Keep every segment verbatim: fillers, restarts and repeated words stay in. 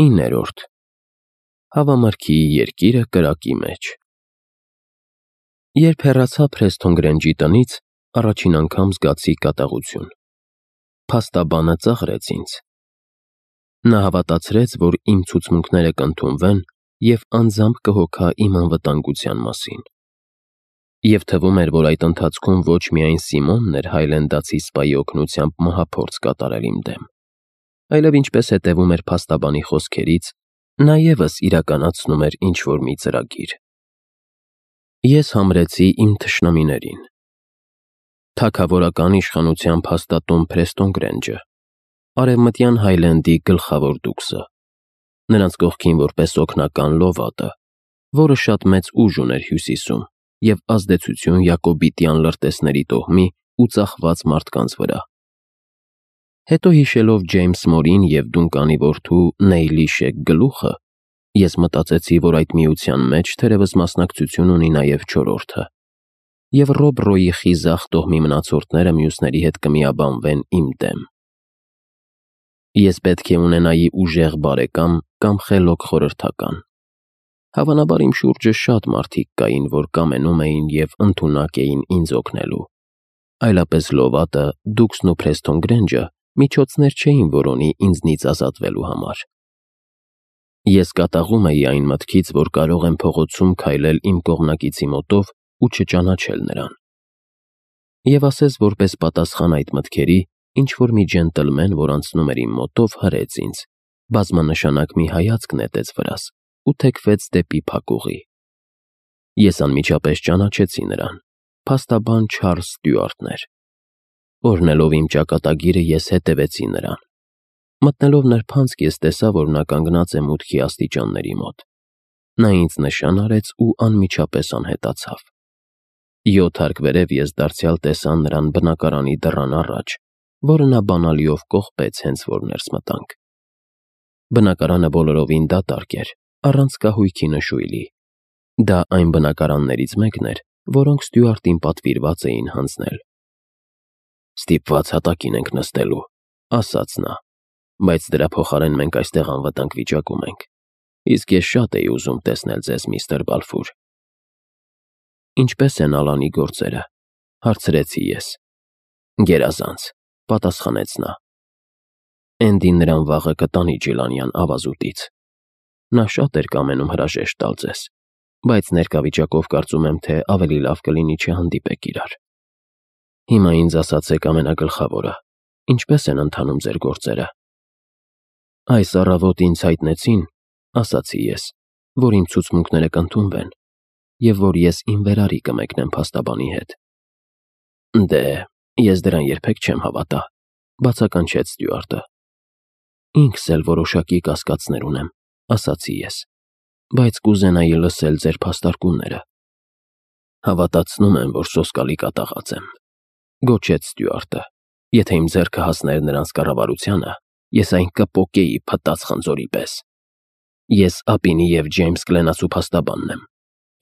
իններորդ Հավամրգի երկիրը կրակի մեջ։ Երբ հեռացա Փրեսթոն Գրենջի տնից, առաջին անգամ զգացի կատաղություն։ Փաստաբանը ծաղրեց ինձ։ Նա հավատացրեց, որ իմ ցուցմունքները կընդունվեն և անձամբ կհոգա իմ անվտանգության մասին։ Եվ թվում էր, որ այդ ընթացքում ոչ միայն Սիմոնն էր հայլենդացի սպայի օգնությամբ մահափորձ կատարել իմ դեմ, այլև ինչպես հետևում էր փաստաբանի խոսքերից, նա ևս իրականացնում էր ինչ-որ մի ծրագիր։ Ես համրեցի իմ թշնամիներին։ Թագավորական իշխանության փաստատուն Փրեսթոն Գրենջը, Արևմտյան Հայլենդի գլխավոր դուքսը, նրանց կողքին որպես օգնական լովատը, որը շատ մեծ ուժ ուներ Հյուսիսում և ազդեցություն յակոբիտյան լրտեսների տոհմի ու ծախված մարդկանց վրա։ Հետո հիշելով Ջեյմս Մորին և Դունկանի որդու Նեյլի Շեկ գլուխը, ես մտածեցի, որ այդ միության մեջ թերևս մասնակցություն ունի նաև չորրորդը, և Ռոբ Ռոյի խիզախ տոհմի մնացորդները մյուսների հետ կմիաբանվեն իմ դեմ։ Ես պետք է ունենայի ուժեղ բարեկամ կամ խելոք խորհրդական։ Հավանաբար իմ շուրջը շատ մարդիկ կային, որ կամենում էին և ընդունակ էին ինձ օգնելու, այլապես լովատը, դուքսն ու Փրեսթոն Գրենջը միջոցներ չէին որոնի ինձնից ազատվելու համար։ Ես կատաղում էի այն մտքից, որ կարող եմ փողոցում քայլել իմ կողմնակիցի մոտով ու չճանաչել նրան։ Եվ ասես որպես պատասխան այդ մտքերի, ինչ-որ մի ջենտլմեն, որ անցնում էր իմ մոտով, հրեց ինձ, բազմանշանակ մի հայացք նետեց վրաս ու թեքվեց դեպի փակուղի։ Ես անմիջապես ճանաչեցի նրան, փաստաբան Չարլզ Ստյուարտն էր։ Օրհնելով իմ ճակատագիրը, ես հետևեցի նրան։ Մտնելով նրբանցք, ես տեսա, որ նա կանգնած է մուտքի աստիճանների մոտ։ Նա ինձ նշան արեց ու անմիջապես անհետացավ։ Յոթ հարկ վերև ես դարձյալ տեսա նրան բնակարանի դռան առաջ, որը նա բանալիով կողպեց, հենց որ ներս մտանք։ Բնակարանը բոլորովին դատարկ էր, առանց կահույքի նշույլի։ Դա այն բնակարաններից մեկն էր, որոնք Ստյուարտին պատվիրված էին հանձնել։ «Ստիպված հատակին ենք նստելու», ասաց նա, «բայց դրա փոխարեն մենք այստեղ անվտանգ վիճակում ենք, իսկ ես շատ էի ուզում տեսնել ձեզ, միստր Բալֆուր»։ «Ինչպե՞ս են Ալանի գործերը», հարցրեցի ես։ «Գերազանց», պատասխանեց նա։ «Էնդին նրան վաղը կտանի Ջիլանյան ավազուտից։ Նա շատ էր կամենում հրաժեշտ տալ ձեզ, բայց ներկա վիճակով կարծում եմ, թե ավելի լավ կլինի չհանդիպեք իրար։ Հիմա ինձ ասացեք ամենագլխավորը. ինչպե՞ս են ընթանում ձեր գործերը»։ «Այս առավոտ ինձ հայտնեցին», ասացի ես, «որ իմ ցուցմունքները կընդունվեն, և որ ես իմ վերարի կմեկնեմ փաստաբանի հետ»։ «Դե, ես դրան երբեք չեմ հավատա», բացականչեց Ստյուարտը։ «Ինքս էլ որոշակի կասկածներ ունեմ», ասացի ես, «բայց կուզենայի լսել ձեր փաստարկումները»։ «Հավատացնում եմ, որ սոսկալի կատաղած եմ», գոչեց Ստյուարտը։ «Եթե իմ ձեռքը հասներ նրանց կառավարությանը, ես այն կպոկեի փտած խնձորի պես։ Ես Ապինի և Ջեյմս Կլենասու փաստաբանն եմ,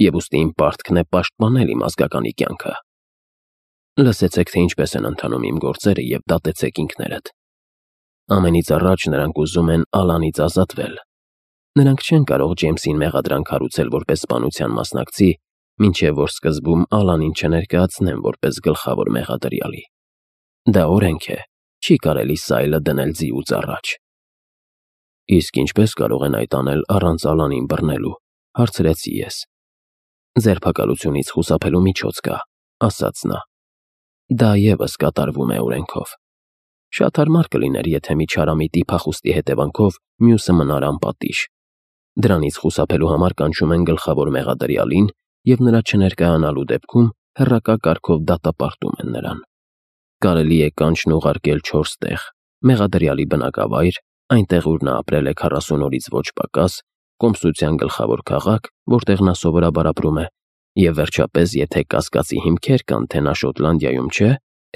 և ուստի իմ պարտքն է պաշտպանել իմ ազգականի կյանքը։ Լսեցեք, թե ինչպես են ընթանում իմ գործերը և դատեցեք ինքներդ։ Ամենից առաջ նրանք ուզում են Ալանից ազատվել։ Նրանք չեն կարող Ջեյմսին մեղադրանք հարուցել որպես սպանության մասնակցի, մինչև որ սկզբում Ալանին չներկայացնեն որպես գլխավոր մեղադրյալի։ Դա օրենք է, չի կարելի սայլը դնել ձիուց առաջ»։ «Իսկ ինչպե՞ս կարող են այդ անել առանց Ալանին բռնելու», հարցրեցի ես։ «Ձերբակալությունից խուսափելու միջոց կա», ասաց նա։ «Դա ևս կատարվում է օրենքով։ Շատ հարմար կլիներ, եթե մի չարամիտի փախուստի հետևանքով մյուսը մնար անպատիժ։ Դրանից խուսափելու համար կանչում են գլխավոր մեղադրյալին և նրա չներկայանալու դեպքում հեռակա կարգով դատապարտում են նրան։ Կարելի է կանչն ուղարկել չորս տեղ՝ մեղադրյալի բնակավայր, այնտեղ, ուր նա ապրել է քառասուն օրից ոչ պակաս, կոմսության գլխավոր քաղաք, որտեղ նա սովորաբար ապրում է, և վերջապես, եթե կասկածի հիմքեր կան, թե նա Շոտլանդիայում չէ,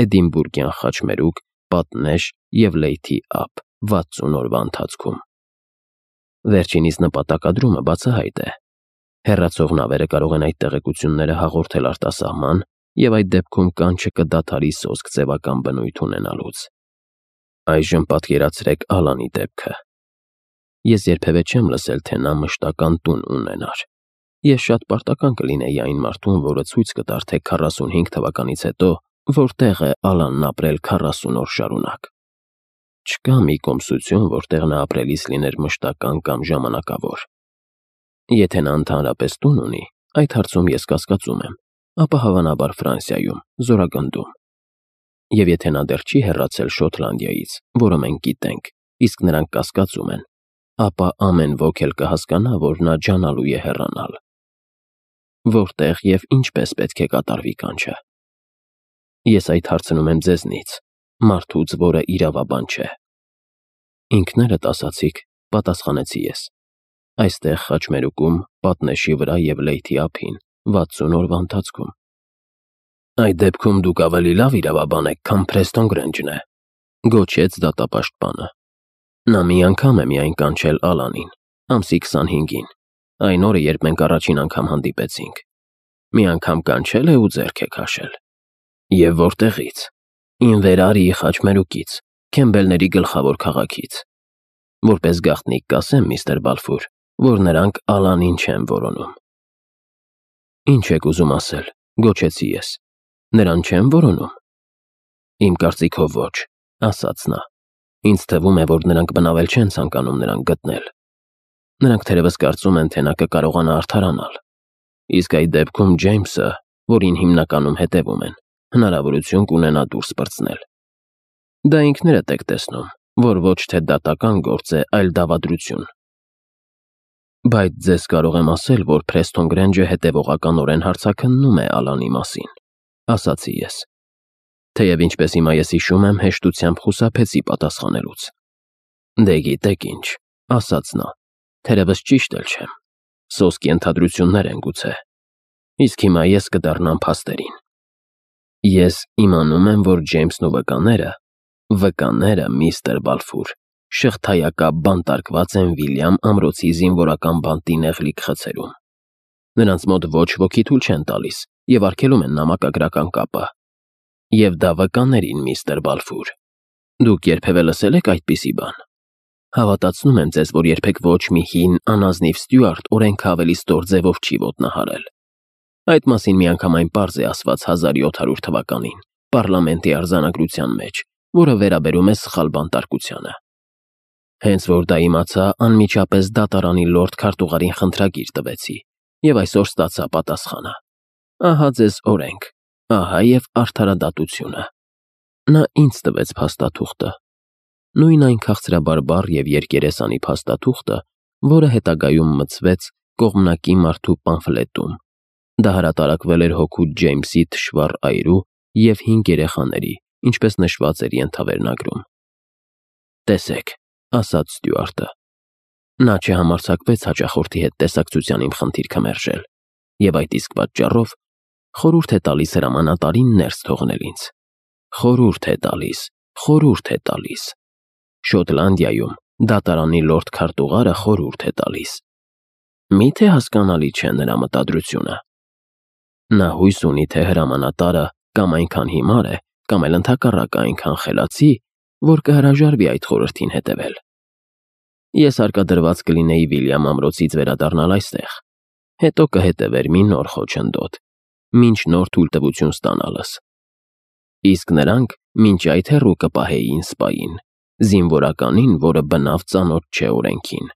Էդինբուրգյան խաչմերուկ, պատնեշ և Լեյթի Ափ վաթսուն օրվա ընթացքում։ Վերջինիս նպատակադրումը բացահայտ է։ Հեռացող նավերը կարող են այդ տեղեկությունները հաղորդել արտասահման, և այդ դեպքում կանչը կդադարի սոսկ ձևական բնույթ ունենալուց։ Այժմ պատկերացրեք Ալանի դեպքը։ Ես երբևէ չեմ լսել, թե նա մշտական տուն ունենար։ Ես շատ պարտական կլինեի այն մարդուն, որը ցույց կտար, թե քառասունհինգ թվականից հետո որտեղ է Ալանն ապրել քառասուն օր շարունակ։ Չկա մի կոմսություն, որտեղ նա ապրելիս լիներ մշտական կամ ժամանակավոր։ Եթե նա ընդհանրապես տուն ունի, այդ հարցում ես կասկածում եմ, ապա հավանաբար Ֆրանսիայում, Զորագնդում։ Եվ եթե նա դեռ չի հեռացել Շոտլանդիայից, որը մենք գիտենք, իսկ նրանք կասկածում են, ապա ամեն ոք էլ կհասկանա, որ նա ջանալու է հեռանալ։ Որտեղ և ինչպես պետք է կատարվի կանչը։ Ես այդ հարցնում եմ ձեզնից, մարդուց, որը իրավաբան չէ։ Ինքներդ ասացիք, պատասխանեցի ես։ Այստեղ խաչմերուկում, պատնեշի վրա և լեյթի ափին, վաթսուն օրվա ընթացքում։ Այդ դեպքում դուք ավելի լավ իրավաբան եք, քան Փրեստոն Գրենջն է, գոչեց դատապաշտպանը։ Նա մի անգամ է միայն կանչել Ալանին, ամսի քսանհինգին, այն օրը, երբ մենք առաջին անգամ հանդիպեցինք։ Մի անգամ կանչել է ու ձեռք է քաշել։ Եվ որտեղից։ Ինվերարիի խաչմերուկից, Քեմբելների գլխավոր քաղաքից։ Որպես գաղտնիք կասեմ, միստր Բալֆուր, որ նրանք Ալանին չեն որոնում։ Ինչ եք ուզում ասել, գոչեցի ես։ Նրան չեն որոնում։ Իմ կարծիքով ոչ, ասաց նա։ Ինձ թվում է, որ նրանք բնավել չեն ցանկանում նրան գտնել։ Նրանք թերևս կարծում են, թե նա կկարողանա արդարանալ։ Իսկ այդ դեպքում Ջեյմսը, որին հիմնականում հետևում են, հնարավորություն կունենա դուրս պրծնել։ Դա ինքներդ եք տեսնում, որ ոչ թե դատական գործ է, այլ դավադրություն։ Բայց ձեզ կարող եմ ասել, որ Փրեստոն Գրենջը հետևողականորեն հարցաքննում է Ալանի մասին, ասացի ես։ Թեև ինչպես հիմա ես հիշում եմ, հեշտությամբ խուսափեցի պատասխանելուց։ Դե գիտեք ինչ, ասաց նա, թերևս ճիշտ էլ չեմ։ Սոսկի ընդհանրություններ են գուցե։ Իսկ հիմա ես կդառնամ փաստերին։ Ես իմանում եմ, որ Ջեյմսն ու վկաները, վկաները, միստր Բալֆուր, շղթայակապ բանտարկված են Վիլյամ ամրոցի զինվորական բանտի նեղլիկ խցերում։ Նրանց մոտ ոչ ոքի թույլ չեն տալիս և արգելում են նամակագրական կապը։ Եվ դա վկաներին, միստր Բալֆուր։ Դուք երբևէ լսել եք այդպիսի բան։ Հավատացնում եմ ձեզ, որ երբեք ոչ մի հին, անազնիվ Ստյուարտ օրենքը ավելի ստոր ձևով չի ոտնահարել։ Այդ մասին միանգամայն պարզ է ասված հազար յոթ հարյուր թվականին, պարլամենտի արձանագրության մեջ, որը վերաբերում է սխալ բանտարկությանը։ Հենց որ դա իմացա, անմիջապես դատարանի լորդ քարտուղարին խնդրագիր տվեցի, և այսօր ստացա պատասխանը։ Ահա ձեզ օրենք, ահա և արդարադատությունը։ Նա ինձ տվեց փաստաթուղթը։ Նույն այն քաղցրաբարբառ և երկերեսանի փաստաթուղթը, որը հետագայում մտցվեց կողմնակի մարդու պամֆլետում։ Դա հրատարակվել էր հօգուտ Ջեյմսի թշվառ այրու և հինգ երեխաների, ինչպես նշված էր ենթավերնագրում։ Տեսեք, ասաց Ստյուարտը։ Նա չհամարձակվեց հաճախորդի հետ տեսակցության իմ խնդիրքը մերժել, և այդ իսկ պատճառով խորհուրդ է տալիս հրամանատարին ներս թողնել ինձ։ Խորհուրդ է տալիս, խորհուրդ է տալիս։ Շոտլանդիայում դատարանի լորդ քարտուղարը խորհուրդ է տալիս։ Մի՞թե հասկանալի չէ նրա մտադրությունը։ Նա հույս ունի, թե հրամանատարը կամ այնքան հիմար է, կամ էլ ընդհակառակը այնքան խելացի, որ կհրաժարվի այդ խորհրդին հետևել։ Ես հարկադրված կլինեի Վիլյամ ամրոցից վերադառնալ այստեղ, հետո կհետևեր մի նոր խոչընդոտ, մինչ նոր թույլտվություն ստանալս։ Իսկ նրանք մինչ այդ հեռու կպահեին սպային, զինվորականին, որը բնավ ծանոթ չէ օրենքին։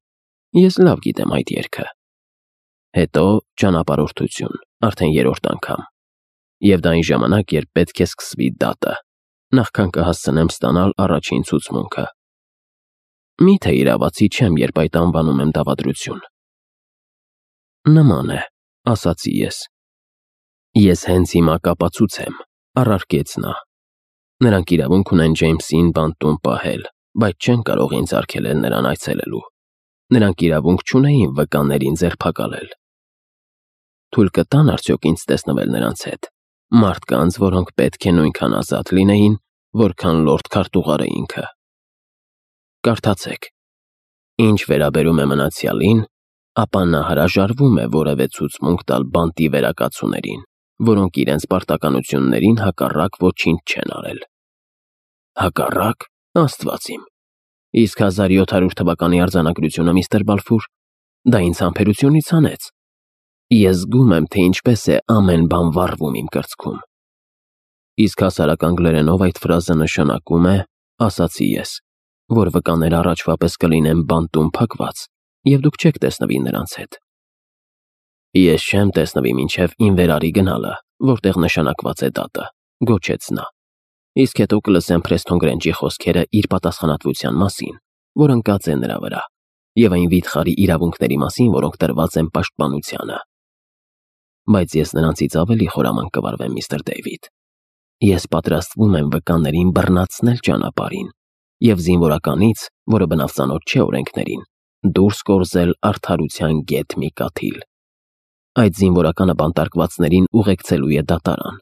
Ես լավ գիտեմ այդ երգը։ Հետո ճանապարհորդություն, արդեն երրորդ անգամ։ Եվ դա այն ժամանակ, երբ պետք է սկսվի դատը, նախքան կհասցնեմ ստանալ առաջին ցուցմունքը։ Մի՞թե իրավացի չեմ, երբ այդ անվանում եմ դավադրություն։ Նման է, ասացի ես։ Ես հենց հիմա կապացուցեմ, առարկեց նա։ Նրանք իրավունք ունեն Ջեյմսին բանտում պահել, բայց չեն կարող ինձ արգելել նրան այցելելու։ Նրանք իրավունք չունեին վկաներին ձերբակալել։ Թույլ կտան արդյոք ինձ տեսնվել նրանց հետ, մարդկանց, որոնք պետք է նույնքան ազատ լինեին, որքան լորդ քարտուղարը ինքը։ Կարդացեք։ Ինչ վերաբերում է մնացյալին, ապա նա հրաժարվում է որևէ ցուցմունք տալ բանտի վերակացուներին, որոնք իրենց պարտականություններին հակառակ ոչինչ չեն արել։ Հակառակ, Աստված իմ։ Իսկ հազար յոթ հարյուր թվականի արձանագրությունը, միստր Բալֆուր, դա ինձ համբերությունից հանեց։ Ես զգում եմ, թե ինչպես է ամեն բան վառվում իմ կրծքում։ Իսկ հասարակ անգլերենով այդ ֆրազը նշանակում է, ասացի ես, որ վկաները առաջվա պես կլինեն բանտում փակված, և դուք չեք տեսնվի նրանց հետ։ Ես չեմ տեսնվի մինչև իմ վերարի գնալը, որտեղ նշանակված է դատը, գոչեց նա։ Իսկ հետո կլսեմ Փրեսթոն Գրենջի խոսքերը իր պատասխանատվության մասին, որ ընկած է նրա վրա, և այն վիթխարի իրավունքների մասին, որոնք տրված են պաշտպանությանը։ Բայց ես նրանցից ավելի խորամանկ կվարվեմ, միստր Դեյվիդ։ Ես պատրաստվում եմ վկաներին բռնացնել ճանապարհին և զինվորականից, որը բնավծանոթ չէ օրենքներին, դուրս կորզել արդարության գեթ մի կաթիլ։ Այդ զինվորականը բանտարկվածներին ուղեկցելու է դատարան։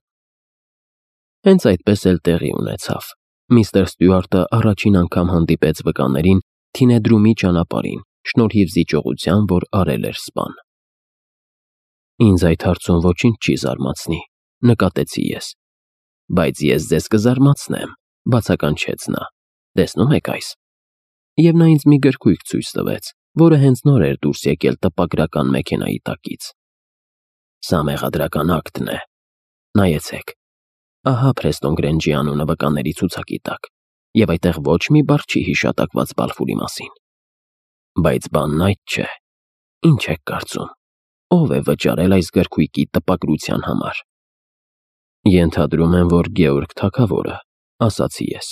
Հենց այդպես էլ տեղի ունեցավ։ Միստր Ստյուարտը առաջին անգամ հանդիպեց վկաներին Թինեդրումի ճանապարհին, շնորհիվ զիջողության, որ արել էր սպան։ Ինձ այդ հարցում ոչինչ չի զարմացնի, նկատեցի ես։ Բայց ես ձեզ կզարմացնեմ, բացականչեց նա։ Տեսնում եք այս։ Եվ նա ինձ մի գրքույկ ցույց տվեց, որը հենց նոր էր դուրս եկել տպագրական մեքենայի տակից։ Սա մեղադրական ակտն է։ Նայեցեք։ Ահա Փրեսթոն Գրենջի անունը վկաների ցուցակի տակ, և այդտեղ ոչ մի բառ չի հիշատակված Բալֆուրի մասին։ Բայց բանն այդ չէ։ Ինչ եք կարծում, ով է վճարել այս գրքույկի տպագրության համար։ Ենթադրում եմ, որ Գեորգ թագավորը, ասացի ես։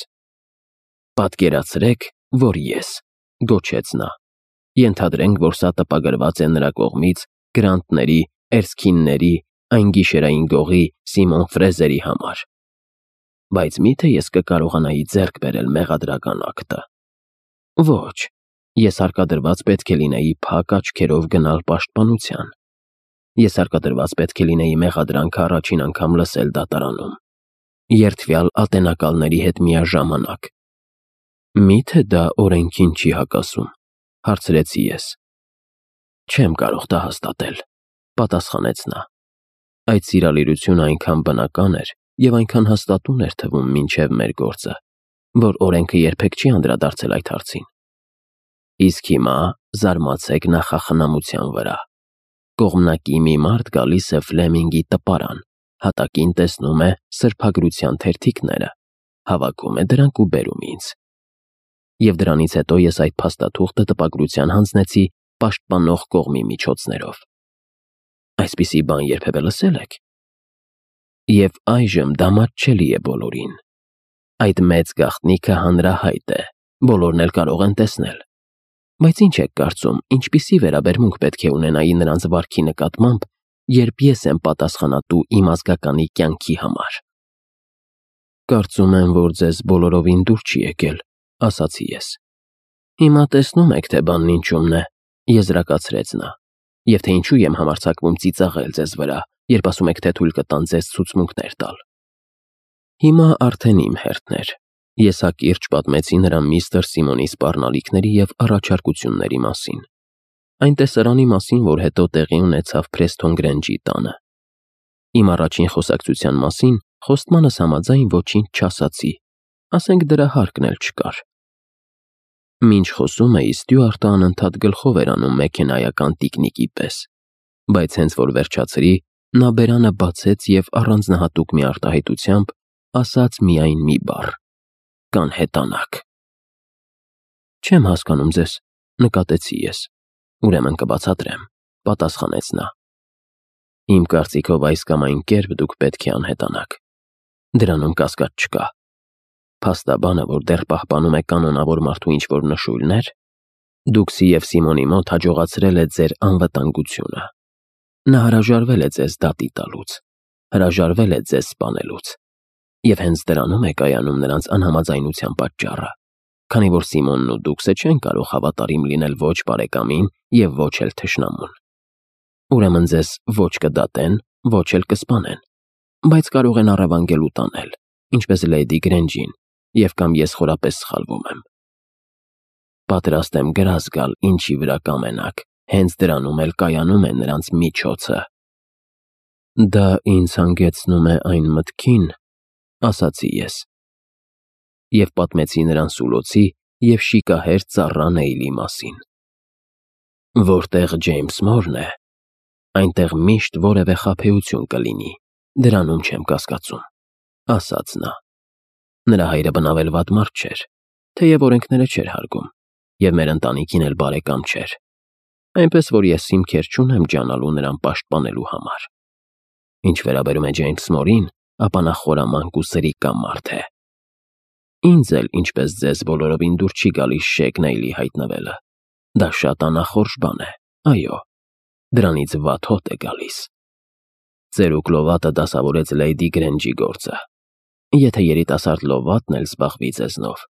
Պատկերացրեք, որ ես, գոչեց նա։ Ենթադրենք, որ սա տպագրված է նրա կողմից Գրանտների, Էրսքինների, այն գիշերային գողի Սիմոն Ֆրեզերի համար։ Բայց միթե ես կկարողանայի ձեռք բերել մեղադրական ակտը։ Ոչ, ես հարկադրված պետք է լինեի փակ աչքերով գնալ պաշտպանության։ Ես հարկադրված պետք է լինեի մեղադրանքը առաջին անգամ լսել դատարանում, երդվյալ ատենակալների հետ միաժամանակ։ Միթե դա օրենքին չի հակասում, հարցրեցի ես։ Չեմ կարող դա հաստատել, պատասխանեց նա։ Այդ սիրալիրությունը այնքան բնական էր և այնքան հաստատուն էր թվում մինչև մեր գործը, որ օրենքը երբեք չի անդրադարձել այդ հարցին։ Իսկ հիմա զարմացեք նախախնամության վրա։ Կողմնակի մի մարդ գալիս է Ֆլեմինգի տպարան, հատակին տեսնում է սրբագրության թերթիկները, հավաքում է դրանք ու բերում ինձ։ Եվ դրանից հետո ես այդ փաստաթուղթը տպագրության հանձնեցի պաշտպանող կողմի միջոցներով։ Այսպիսի բան երբևէ լսել եք։ Եվ այժմ դա մատչելի է բոլորին։ Այդ մեծ գաղտնիքը հանրահայտ է, բոլորն էլ կարող են տեսնել։ Բայց ինչ եք կարծում, ինչպիսի վերաբերմունք պետք է ունենայի նրանց վարքի նկատմամբ, երբ ես եմ պատասխանատու իմ ազգականի կյանքի համար։ Կարծում եմ, որ ձեզ բոլորովին դուր չի եկել, ասացի ես։ Հիմա տեսնում եք, թե բանն ինչումն է, եզրակացրեց նա, և թե ինչու եմ համարձակվում ծիծաղել ձեզ վրա, երբ ասում եք, թե թույլ կտան ձեզ ցուցմունքներ տալ։ Հիմա արդեն իմ հերթն էր։ Ես հակիրճ պատմեցի նրան միստր Սիմոնի սպառնալիքների և առաջարկությունների մասին։ Այն տեսարանի մասին, որ հետո տեղի ունեցավ Փրեսթոն Գրենջի տանը։ Իմ առաջին խոսակցության մասին խոստմանս համաձայն ոչինչ չասացի, ասենք դրա հարկն էլ չկար։ Մինչ խոսում էի, Ստյուարտը անընդհատ գլխով էր անում մեքենայական տիկնիկի պես, բայց հենց որ վերջացրի, նա բերանը բացեց և առանձնահատուկ մի արտահայտությամբ ասաց միայն մի բառ. կանհետանաք։ Չեմ հասկանում ձեզ, նկատեցի ես։ Ուրեմն կբացատրեմ, պատասխանեց նա։ Իմ կարծիքով այս կամ այն կերպ դուք պետք է անհետանաք։ Դրանում կասկած չկա։ Փաստաբանը, որ դեռ պահպանում է կանոնավոր մարդու ինչ-որ նշույլներ, դուք և Սիմոնի մոտ հաջողացրել է ձեր անվտանգությունը։ Նա հրաժարվել է ձեզ դատի տալուց, հրաժարվել է ձեզ սպանելուց։ Եվ հենց դրանում է կայանում նրանց անհամաձայնության պատճառը, քանի որ Սիմոնն ու դուքսը չեն կարող հավատարիմ լինել ոչ բարեկամին և ոչ էլ թշնամուն։ Ուրեմն ձեզ ոչ կդատեն, ոչ էլ կսպանեն, բայց կարող են առևանգել ու տանել, ինչպես Լեյդի Գրենջին, և կամ ես խորապես սխալվում եմ։ Պատրաստ եմ գրազ գալ, ինչի վրա կամենաք, հենց դրանում էլ կայանում է նրանց միջոցը։ Դա ինձ հանգեցնում է այն մտքին, ասացի ես, և պատմեցի նրան սուլոցի և շիկահեր ծառա Նեյլի մասին։ Որտեղ Ջեյմս Մորն է, այնտեղ միշտ որևէ խաբեություն կլինի, դրանում չեմ կասկածում, ասաց նա։ Նրա հայրը բնավել վատ մարդ չէր, թեև օրենքները չէր հարգում, և մեր ընտանիքին էլ բարեկամ չէր, այնպես որ ես հիմքեր չունեմ ջանալու նրան պաշտպանելու համար։ Ինչ վերաբերում է Ջեյմս Մորին, ապա նա խորամանկ ու սրիկա մարդ է։ Ինձ էլ, ինչպես ձեզ, բոլորովին դուր չի գալիս Շեգ Նեյլի հայտնվելը։ Դա շատ անախորժ բան է, այո, դրանից վատ հոտ է գալիս։ Ծերուկ լովատը դասավորեց Լեյդի Գրենջի գործը։ Եթե երիտասարդ լովատն էլ զբաղվի ձեզնով,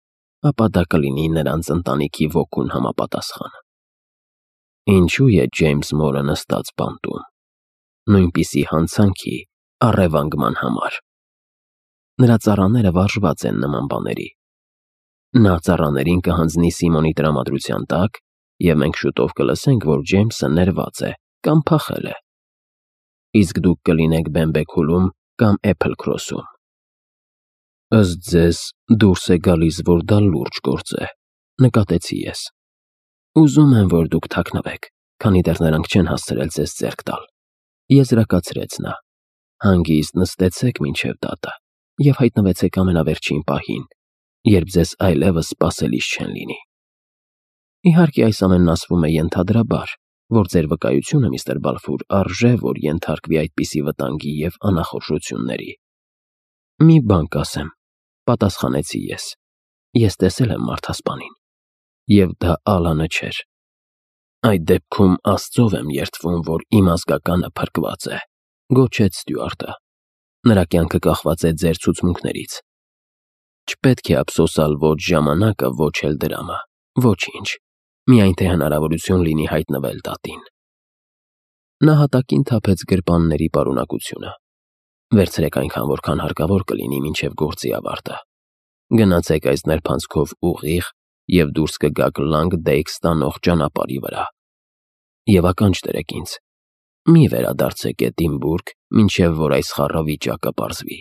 ապա դա կլինի նրանց ընտանիքի ոգուն համապատասխան։ Ինչու է Ջեյմս Մորը նստած բանտում։ Նույնպիսի հանցանքի, առևանգման համար։ Նրա ծառաները վարժված են նման բաների։ Նա ծառաներին կհանձնի Սիմոնի տրամադրության տակ, և մենք շուտով կլսենք, որ Ջեյմսը ներված է կամ փախել է։ Իսկ դուք կլինեք Բեմբեքուլում կամ Էփլ Քրոսում։ Ըստ ձեզ, դուրս է գալիս, որ դա լուրջ գործ է, նկատեցի ես։ Ուզում եմ, որ դուք թաքնվեք, քանի դեռ նրանք չեն հասցրել ձեզ ձեռք տալ, եզրակացրեց նա։ Հանգիստ նստեցեք մինչև դատը և հայտնվեցեք ամենավերջին պահին, երբ ձեզ այլևս սպասելիս չեն լինի։ Իհարկե, այս ամենն ասվում է ենթադրաբար, որ ձեր վկայությունը, միստր Բալֆուր, արժե, որ ենթարկվի այդպիսի վտանգի և անախորժությունների։ Մի բան կասեմ, պատասխանեցի ես։ Ես տեսել եմ մարդասպանին, և դա Ալանը չէր։ Այդ դեպքում Աստծով եմ երդվում, որ իմ ազգականը փրկված է, գոչեց Ստյուարտը։ Նրա կյանքը կախված է ձեր ցուցմունքներից։ Չպետք է ափսոսալ ոչ ժամանակը, ոչ էլ դրամը, ոչինչ, միայն թե հնարավորություն լինի հայտնվել դատին։ Նա հատակին թափեց գրպանների պարունակությունը։ Վերցրեք այնքան, որքան հարկավոր կլինի մինչև գործի ավարտը։ Գնացեք այս նրբանցքով ուղիղ և դուրս կգաք Լանգ Դեյք ստանող ճանապարհի վրա։ Եվ ականջ դրեք ինձ, մի վերադարձեք Էդինբուրգ, մինչև որ այս խառը վիճակը պարզվի։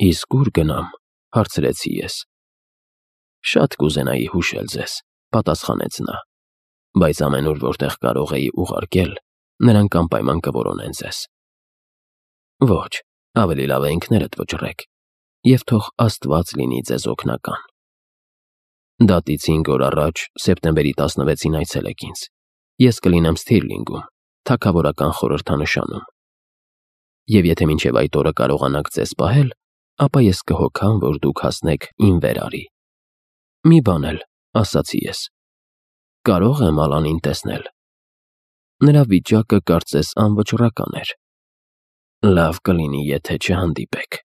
Իսկ ուր գնամ, հարցրեցի ես։ Շատ կուզենայի հուշել ձեզ, պատասխանեց նա, բայց ամենուր, որտեղ կարող էի ուղարկել, նրանք անպայման կորոնեն ձեզ։ Ոչ, ավելի լավ է ինքներդ վճռեք, և թող Աստված լինի ձեզ օգնական։ Դատից հինգ օր առաջ, սեպտեմբերի տասնվեցին այցելեք ինձ։ Ես կլինեմ Սթիրլինգում, թագավորական խորհրդանշանում։ Եվ եթե մինչև այդ օրը կարողանաք ձեզ պահել, ապա ես կհոգամ, որ դուք հասնեք իմ վերարի։ Մի բան էլ, ասացի ես, կարող եմ Ալանին տեսնել։ Նրա վիճակը կարծես անվճռական էր։ Լավ կլինի, եթե չհանդիպեք,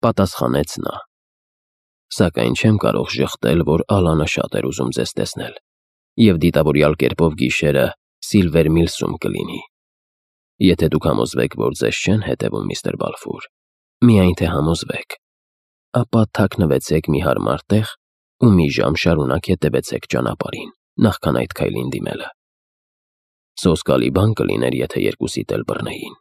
պատասխանեց նա։ Սակայն չեմ կարող ժխտել, որ Ալանը շատ էր ուզում ձեզ տեսնել, և դիտավորյալ կերպով գիշերը Սիլվեր Միլսում կլինի։ Եթե դուք համոզվեք, որ ձեզ չեն հետևում, միստր Բալֆուր, միայն թե համոզվեք, ապա թաքնվեցեք մի հարմար տեղ ու մի ժամ շարունակ հետևեցեք ճանապարհին, նախքան այդ քայլին դիմելը։ Սոսկալի բան կլիներ, եթե երկուսիդ էլ բռնեին։